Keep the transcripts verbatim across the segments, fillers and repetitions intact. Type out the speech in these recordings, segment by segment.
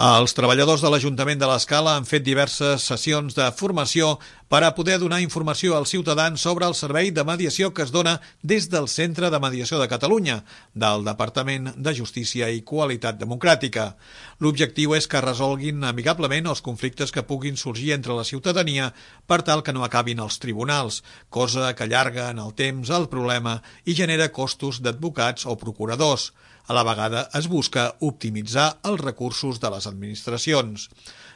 Els treballadors de l'Ajuntament de l'Escala han fet diverses sessions de formació per a poder donar informació als ciutadans sobre el servei de mediació que es dona des del Centre de Mediació de Catalunya, del Departament de Justícia i Qualitat Democràtica. L'objectiu és que resolguin amigablement els conflictes que puguin sorgir entre la ciutadania per tal que no acabin als tribunals, cosa que allarga en el temps el problema i genera costos d'advocats o procuradors. A la vegada es busca optimitzar els recursos de les administracions.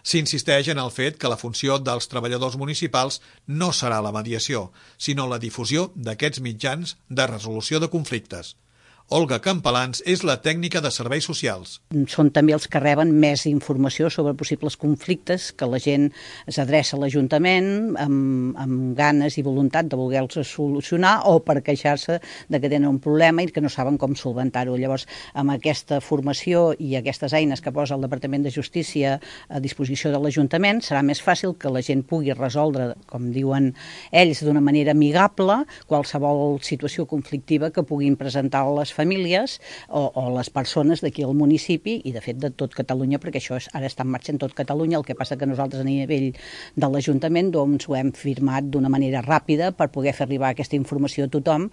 S'insisteix en el fet que la funció dels treballadors municipals no serà la mediació, sinó la difusió d'aquests mitjans de resolució de conflictes. Olga Campalans és la tècnica de serveis socials. Són també els que reben més informació sobre possibles conflictes, que la gent s'adreça a l'Ajuntament amb, amb ganes i voluntat de voler-los solucionar o per queixar-se de que tenen un problema i que no saben com solventar-ho. Llavors, amb aquesta formació i aquestes eines que posa el Departament de Justícia a disposició de l'Ajuntament, serà més fàcil que la gent pugui resoldre, com diuen ells, d'una manera amigable, qualsevol situació conflictiva que puguin presentar les famílies o, o les persones d'aquí al municipi i de fet de tot Catalunya, perquè això és, ara està en marxa en tot Catalunya. El que passa que nosaltres a nivell de l'Ajuntament doncs, ho hem firmat d'una manera ràpida per poder fer arribar aquesta informació a tothom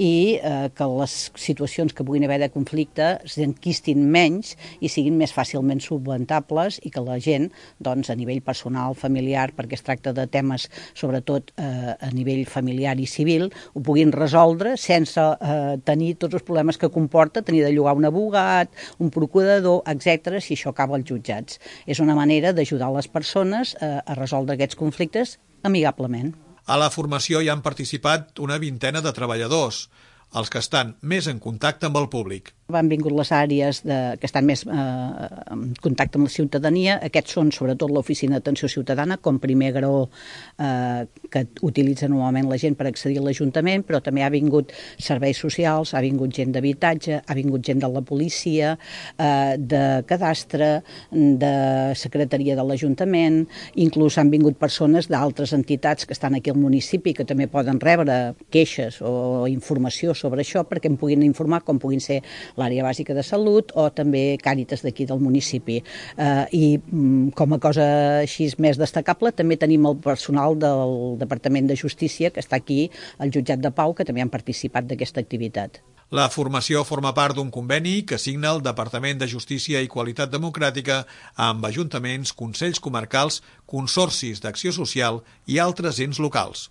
i eh, que les situacions que puguin haver de conflicte s'enquistin menys i siguin més fàcilment solventables i que la gent doncs, a nivell personal, familiar, perquè es tracta de temes sobretot eh, a nivell familiar i civil, ho puguin resoldre sense eh, tenir tots els problemes que comporta tenir de llogar un abogat, un procurador, etcètera, si això acaba als jutjats. És una manera d'ajudar les persones a, a resoldre aquests conflictes amigablement. A la formació hi han participat una vintena de treballadors, els que estan més en contacte amb el públic. Han vingut les àrees de, que estan més eh, en contacte amb la ciutadania. Aquests són sobretot l'Oficina d'Atenció Ciutadana, com primer graó eh, que utilitza normalment la gent per accedir a l'Ajuntament, però també ha vingut serveis socials, ha vingut gent d'habitatge, ha vingut gent de la policia, eh, de cadastre, de secretaria de l'Ajuntament, inclús han vingut persones d'altres entitats que estan aquí al municipi que també poden rebre queixes o informació sobre això perquè em puguin informar, com puguin ser l'àrea bàsica de salut o també Càritas d'aquí del municipi. Eh, I com a cosa així més destacable també tenim el personal del Departament de Justícia que està aquí al Jutjat de Pau, que també han participat d'aquesta activitat. La formació forma part d'un conveni que signa el Departament de Justícia i Qualitat Democràtica amb ajuntaments, consells comarcals, consorcis d'acció social i altres ens locals.